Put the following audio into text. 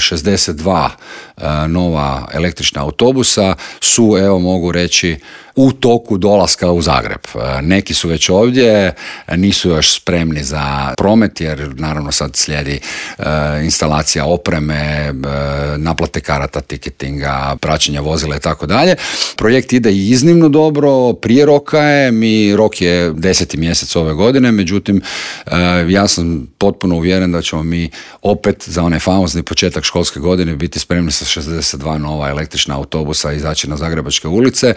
62 nova električna autobusa su, evo mogu reći, u toku dolaska u Zagreb. Neki su već ovdje, nisu još spremni za promet jer naravno sad slijedi instalacija opreme, naplate karata, tiketinga, praćenja vozila i tako dalje. Projekt ide iznimno dobro, prije roka je, rok je 10. mjesec ove godine, međutim ja sam potpuno uvjeren da ćemo mi opet za onaj famozni početak školske godine biti spremni sa 62 nova električna autobusa izaći na Zagrebačke ulice